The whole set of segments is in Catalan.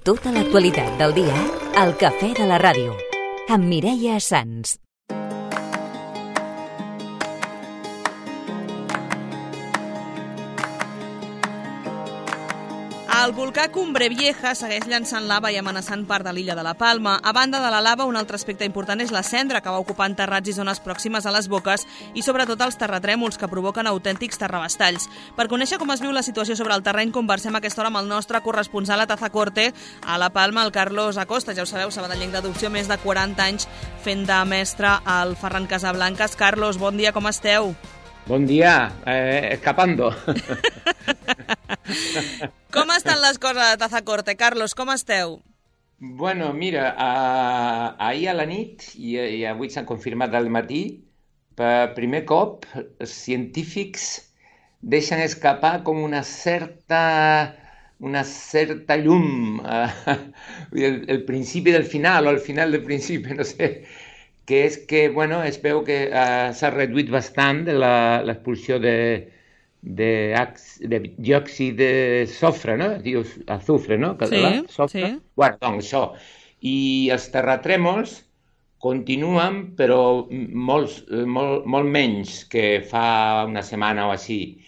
Tota l'actualitat del dia al Cafè de la Ràdio, amb Mireia Sans. El volcà Cumbre Vieja segueix llançant lava i amenaçant part de l'illa de la Palma. A banda de la lava, un altre aspecte important és la cendra, que va ocupant terrats i zones pròximes a les boques i sobretot els terratrèmols, que provoquen autèntics terrabastalls. Per conèixer com es viu la situació sobre el terreny, conversem a aquesta hora amb el nostre corresponsal a Tazacorte, a la Palma, el Carlos Acosta. Ja ho sabeu, sabadellenc d'adopció, més de 40 anys fent de mestre al Ferran Casablancas. Carlos, bon dia, com esteu? Bon dia, escapando. Com estan les coses a Tazacorte? Carlos, com esteu? Bueno, mira, ahir a la nit, i avui s'han confirmat al matí, per primer cop els científics deixen escapar com una certa llum, el principi del final, o el final del principi, no sé, que és que, bueno, es veu que s'ha reduït bastant l'expulsió de diòxid de sofre, no? Dius azufre, no? Sí. Bueno, doncs això. I els terratrèmols continuen, però molt menys que fa una setmana o així.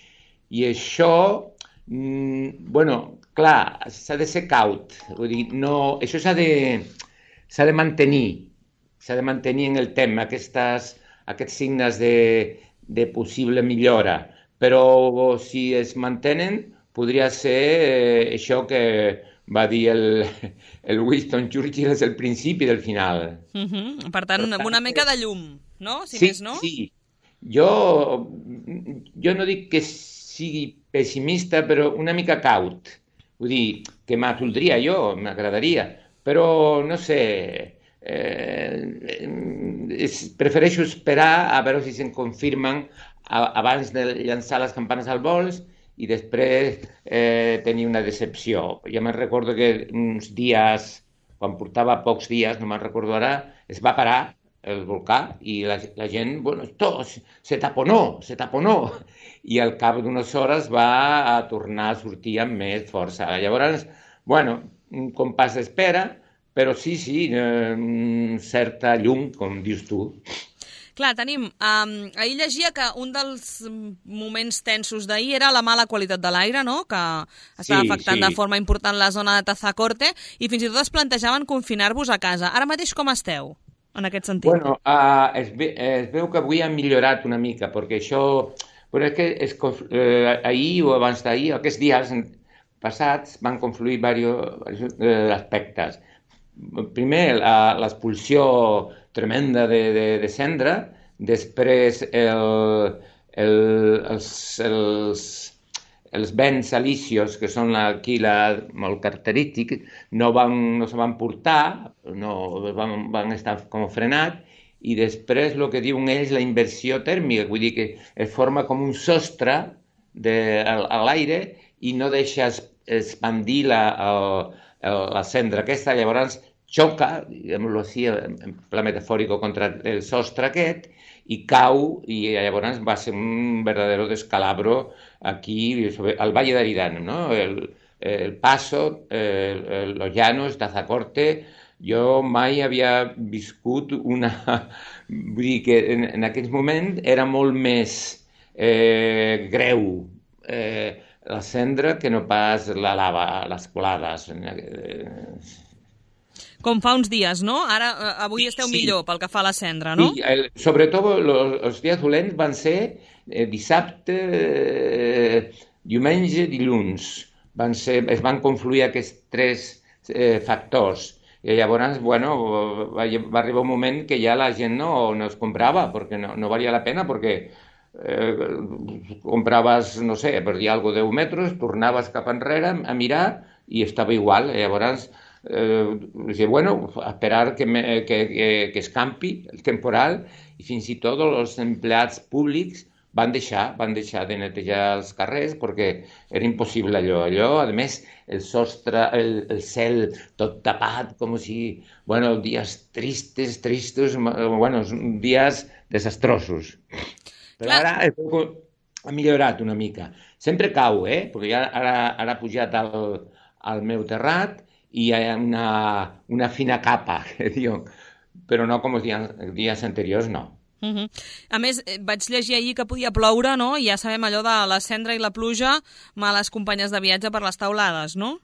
I això, bueno, clar, s'ha de ser caut. Vull dir, no, això s'ha de mantenir. S'ha de mantenir en el temps aquests signes de possible millora. Però si es mantenen, podria ser això que va dir el Winston Churchill, és el principi del final. Per tant, una mica de llum, no? Si sí, més no? Sí. Jo no dic que sigui pessimista, però una mica caut. Vull dir, que m'atoldria jo, m'agradaria. Però, no sé, prefereixo esperar a veure si se'n confirmen abans de llançar les campanes al vols i després tenir una decepció. Jo me'n recordo que uns dies, quan portava pocs dies, no me'n recordo ara, es va parar el volcà i la gent, bueno, esto se taponó, i al cap d'unes hores va tornar a sortir amb més força. Llavors, bueno, un compàs d'espera, però sí, certa llum, com dius tu. Clar, tenim... ahir llegia que un dels moments tensos d'ahir era la mala qualitat de l'aire, no?, que estava afectant de forma important la zona de Tazacorte, i fins i tot es plantejaven confinar-vos a casa. Ara mateix com esteu, en aquest sentit? Bueno, es veu que avui ha millorat una mica, perquè això... Però és que ahir o abans d'ahir, aquests dies passats, van confluir diversos aspectes. Primer, l'expulsió tremenda de cendra, després els vents alisios, que són aquí molt característics, no se van portar, van estar com frenats, i després el que diuen ells, la inversió tèrmica, vull dir que es forma com un sostre a l'aire i no deixa expandir la cendra aquesta, llavors xoca, diguem-ho així, en pla metafòric, contra el sostre aquest, i cau, i llavors va ser un verdadero descalabro aquí, al Valle de Aridane, no? El Paso, los Llanos, Tazacorte. Jo mai havia viscut una... Vull dir que en aquell moment era molt més greu la cendra que no pas la lava, les colades. Com fa uns dies, no? Avui esteu millor pel que fa a la cendra, no? Sí, sobretot els dies dolents van ser dissabte, diumenge, dilluns. Es van confluir aquests tres factors. I llavors, bueno, va arribar un moment que ja la gent no es comprava, perquè no valia la pena, perquè compraves, no sé, per dir alguna cosa, 10 metres, tornaves cap enrere a mirar i estava igual. Llavors, bueno, esperar que escampi el temporal, i fins i tot els empleats públics van deixar de netejar els carrers perquè era impossible allò. A més, el sostre, el cel tot tapat, com si... Bueno, dies tristos, bueno, dies desastrosos. Però ara ha millorat una mica. Sempre cau, perquè ara ha pujat al meu terrat hi ha una fina capa, que diuen, però no com els dies anteriors, no. A més, vaig llegir ahir que podia ploure, no? I ja sabem allò de la cendra i la pluja, males companyes de viatge per les taulades, no?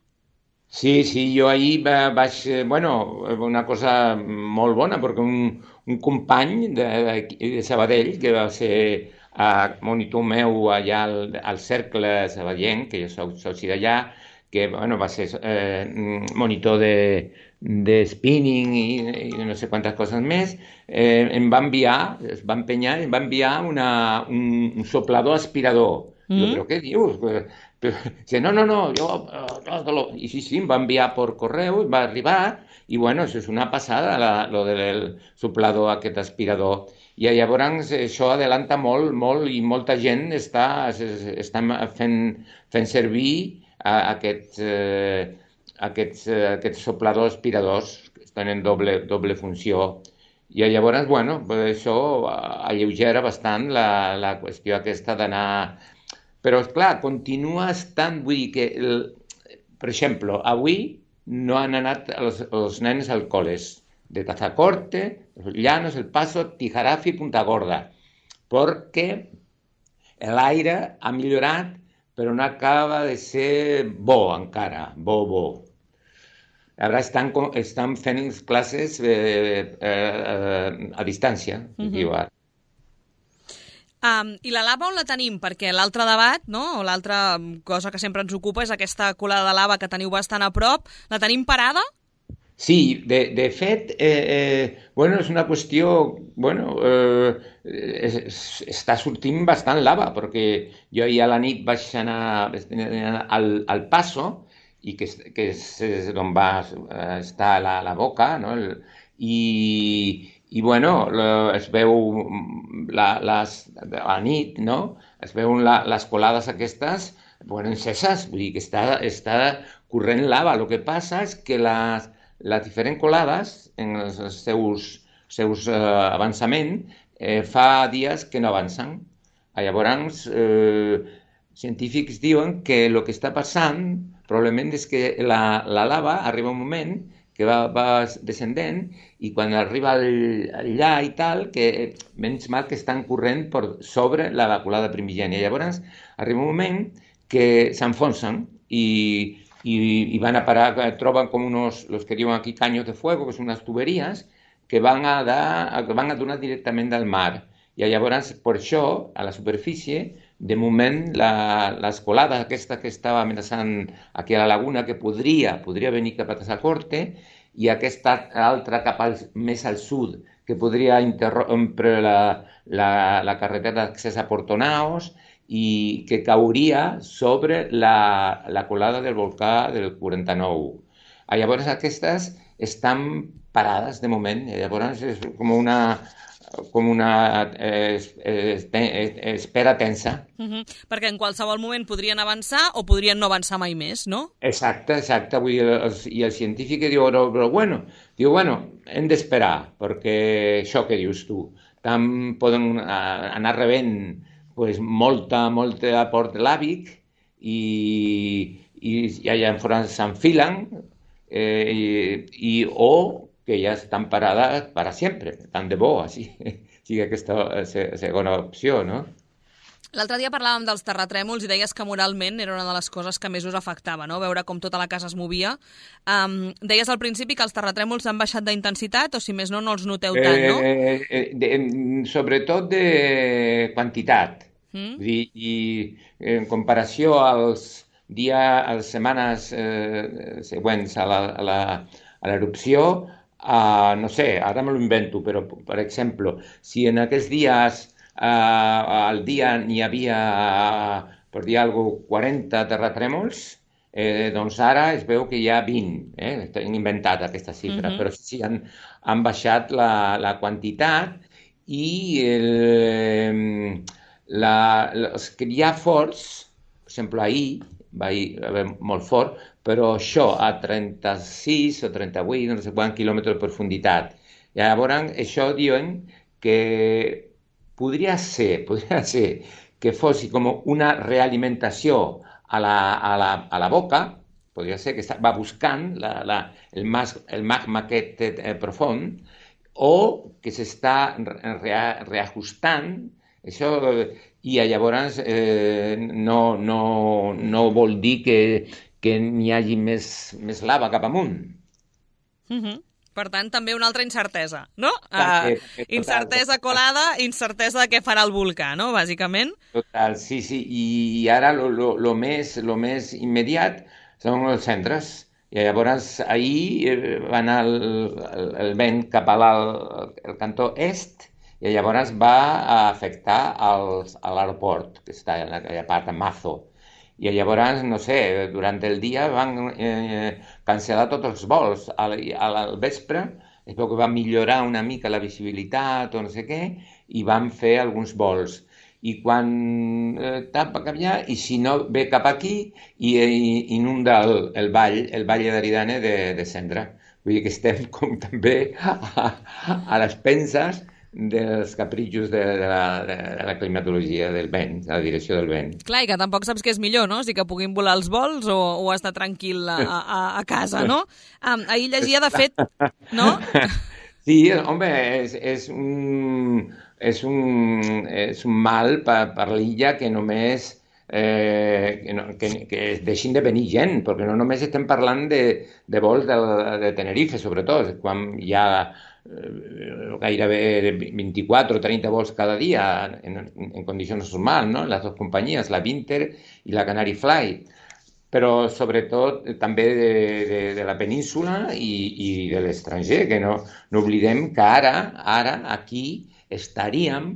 Sí, jo ahir vaig... Bueno, una cosa molt bona, perquè un company de Sabadell, que va ser monitor meu allà al Cercle Sabadellenc, que jo soci d'allà, que bueno, va ser monitor de spinning i no sé quantes coses més, em va enviar, es va empenyar i em va enviar un soplador aspirador. Jo, però què dius? Dice, no, yo... Y sí, em va enviar por correu, va arribar, i bueno, això és una passada, lo del soplador aquest aspirador. I llavors això adelanta molt i molta gent està fent servir aquests sopladors aspiradors que tenen doble funció. I llavors, bueno, això alleugera bastant la qüestió aquesta d'anar... Però, esclar, continua estant... Vull dir que, per exemple, avui no han anat els nens al col·les de Tazacorte, Llanos, El Paso, Tijarafi, Punta Gorda, perquè l'aire ha millorat, però no acaba de ser bo encara, bo. Ara estan fent classes a distància, diu ara. I la lava on la tenim? Perquè l'altre debat, no? O l'altra cosa que sempre ens ocupa és aquesta colada de lava que teniu bastant a prop. La tenim parada? Sí, de fet, bueno, és una qüestió... Bueno, està sortint bastant lava, perquè jo ahir a la nit vaig anar al Paso, i que és on va estar la boca, no? I bueno, es veu a la nit, no? Es veuen les colades aquestes, bueno, enceses, vull dir que està corrent lava. El que passa és que les diferents colades, en els seus avançaments, fa dies que no avancen. Llavors, científics diuen que el que està passant probablement és que la lava arriba un moment que va descendent, i quan arriba allà i tal, que menys mal que estan corrent per sobre la colada primigènia. Llavors arriba un moment que s'enfonsen i van a parar, troben com los que diuen aquí caños de fuego, que són unes tuberies que van a donar directament del mar. I llavors, per això, a la superfície, de moment, les colades aquesta que estava amenaçant aquí a la laguna, que podria venir cap a Tazacorte, i aquesta altra cap més al sud, que podria interrompre la carretera d'accés a Portonaos, i que cauria sobre la colada del volcà del 49. Llavors aquestes estan parades de moment, llavors és com una espera tensa. Perquè en qualsevol moment podrien avançar o podrien no avançar mai més, no? Exacte. Vull dir, i el científic diu, però bueno, hem d'esperar, perquè això que dius tu, tant poden anar rebent pues, molta aport làbic i allà s'enfilen o que ja estan parades per sempre, tant de bo, així sigui aquesta segona opció, no? L'altre dia parlàvem dels terratrèmols i deies que moralment era una de les coses que més us afectava, no? Veure com tota la casa es movia. Deies al principi que els terratrèmols han baixat d'intensitat, o si més no els noteu tant, no? Sobretot de quantitat. Vull dir, i en comparació als setmanes següents a l'erupció, no sé, ara me lo invento, però, per exemple, si en aquests dies al dia n'hi havia, per dir alguna cosa, 40 terratrèmols, doncs ara es veu que hi ha 20, hem inventat aquesta xifra, però sí, han baixat la quantitat, i els que hi ha forts, per exemple, ahir va haver molt fort, però això a 36 o 38, no sé quants quilòmetres de profunditat. I llavors això diuen que podria ser que fos com una realimentació a la boca, podria ser que va buscant el magma aquest profund, o que s'està reajustant, això, i llavors no vol dir que n'hi hagi més lava cap amunt. Per tant, també una altra incertesa, no? Incertesa colada, incertesa de què farà el volcà, no?, bàsicament. Total, sí. I ara lo més immediat són els centres. I llavors ahir va anar el vent cap al cantó est i llavors va afectar a l'aeroport, que està en aquella part de Mazo. I llavors, no sé, durant el dia van cancel·lar tots els vols. Al vespre es veu que va millorar una mica la visibilitat o no sé què, i van fer alguns vols. I quan tapa cap allà, i si no ve cap aquí, i inunda el vall d'Aridane de Cendra. Vull dir que estem com també a les penses dels capritxos de la climatologia del vent, de la direcció del vent. Clar, i que tampoc saps què és millor, no? Si que puguin volar els vols o estar tranquil a casa, no? Ahir llegia, de fet, no? Sí, home, és un mal per l'illa que només que deixin de venir gent, perquè no només estem parlant de vols de Tenerife, sobretot, quan hi ha gairebé 24 o 30 vols cada dia en condicions normals, no? Les dues companyies, la Vinter i la Canary Fly, però sobretot també de la península i de l'estranger, que no oblidem que ara aquí estaríem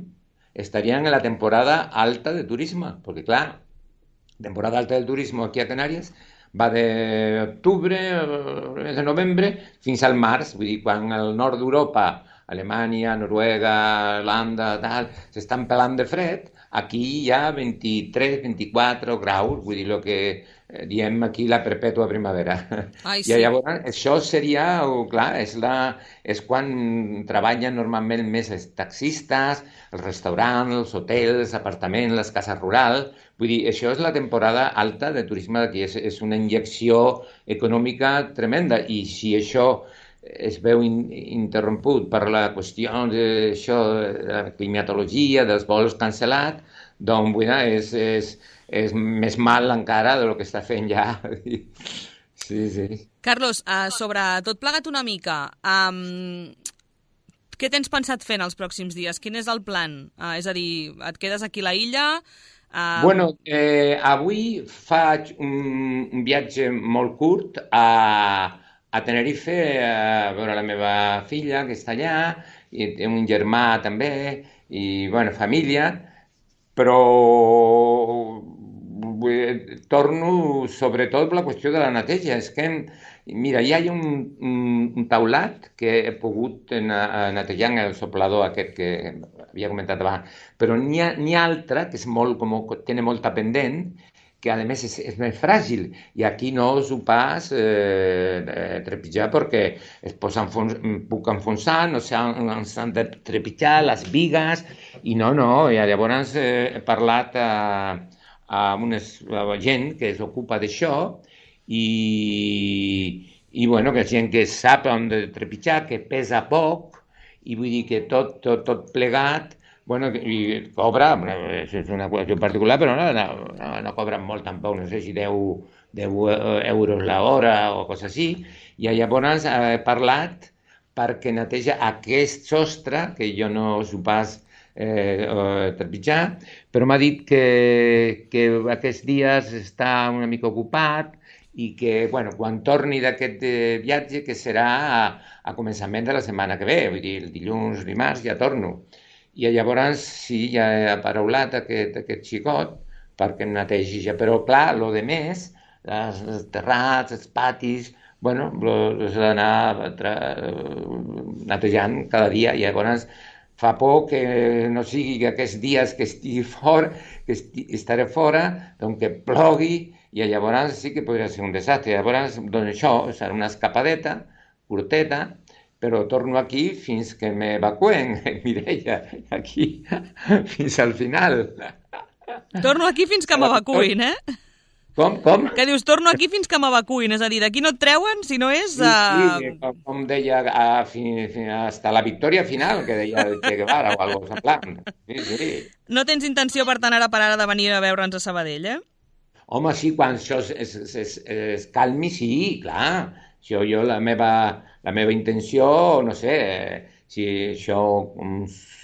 en la temporada alta de turisme, perquè clar, temporada alta del turisme aquí a Canàries va d'octubre, de novembre, fins al març. Vull dir, quan al nord d'Europa, Alemanya, Noruega, Holanda, tal, s'estan pelant de fred, aquí hi ha 23, 24 graus, vull dir, el que diem aquí la perpètua primavera. Ai, sí. I llavors això seria, clar, és quan treballen normalment més els taxistes, els restaurants, els hotels, els apartaments, les cases rurals. Vull dir, això és la temporada alta de turisme d'aquí, és una injecció econòmica tremenda, i si això es veu interromput per la qüestió d'això, de la climatologia, dels vols cancel·lats, doncs és més mal encara del que està fent ja. Sí. Carlos, sobre tot plegat una mica, què tens pensat fer en els pròxims dies? Quin és el plan? És a dir, et quedes aquí a la illa? Bueno, avui faig un viatge molt curt a Tenerife a veure la meva filla, que està allà, i té un germà també, i, bueno, família, però torno sobretot per la qüestió de la neteja. És que, mira, hi ha un taulat que he pogut netejar en el soplador aquest que havia comentat abans, però n'hi ha altra que és molt, té molta pendent, que a més és més fràgil, i aquí no us ho pas trepitjar perquè es puc enfonsar, no s'han de trepitjar les bigues, i no, i llavors he parlat a gent que s'ocupa d'això, i bueno, que és gent que sap on de trepitjar, que pesa poc, i vull dir que tot plegat, bueno, i cobra, és una qüestió particular, però no cobren molt tampoc, no sé si 10 euros l'hora o cosa així, i llavors he parlat perquè neteja aquest sostre, que jo no s'ho pas trepitjar, però m'ha dit que aquests dies està una mica ocupat i que, bueno, quan torni d'aquest viatge, que serà a començament de la setmana que ve, vull dir, el dilluns, dimarts, ja torno. I llavors sí, ja he aparaulat aquest xicot perquè em netegi ja. Però clar, el de més, els terrats, els patis, bueno, els he d'anar netejant cada dia. I llavors fa por que no sigui que aquests dies que estigui fora, que estaré fora, doncs que plogui, i llavors sí que podria ser un desastre. Llavors, doncs això, serà una escapadeta, curteta, però torno aquí fins que m'evacuen, Mireia, aquí, fins al final. Torno aquí fins que m'evacuïn, eh? Com? Que dius, torno aquí fins que m'evacuïn, és a dir, d'aquí no et treuen si no és... Sí, com deia, hasta la victòria final, que deia el Che Guevara o algo semblant. Sí. No tens intenció, per tant, ara per ara de venir a veure'ns a Sabadell, eh? Home, sí, quan això es calmi, sí, clar. Jo la meva intenció, no sé, si això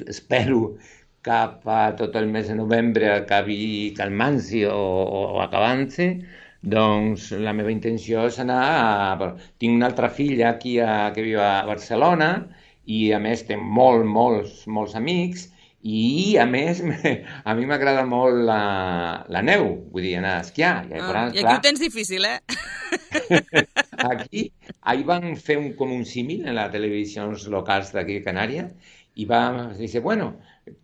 espero cap a tot el mes de novembre acabi calmant-se o acabant-se, doncs la meva intenció és anar... Tinc una altra filla aquí que viu a Barcelona i a més té molts amics i a més a mi m'agrada molt la neu, vull dir, anar a esquiar. I aquí ho tens difícil, eh? Aquí, ahir van fer com un símil en les televisions locals d'aquí a Canària i va dir, bueno,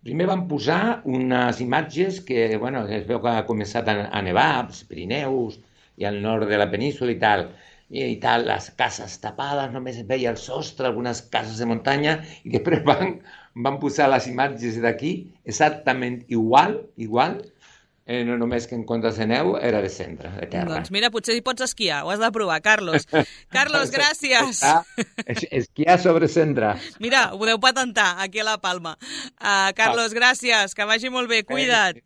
primer van posar unes imatges que, bueno, es veu que ha començat a nevar als Pirineus i al nord de la península i tal, les cases tapades, només es veia el sostre, algunes cases de muntanya, i després van posar les imatges d'aquí exactament igual, no només que en comptes de neu era de cendra, de terra. Doncs mira, potser hi pots esquiar, ho has de provar, Carlos. Carlos, gràcies. Esquiar sobre cendra. Mira, ho podeu patentar aquí a La Palma. Carlos, gràcies, que vagi molt bé, cuida't.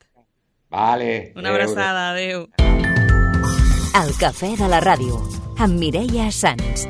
Vale. Una abraçada, adéu. El cafè de la ràdio, amb Mireia Sans.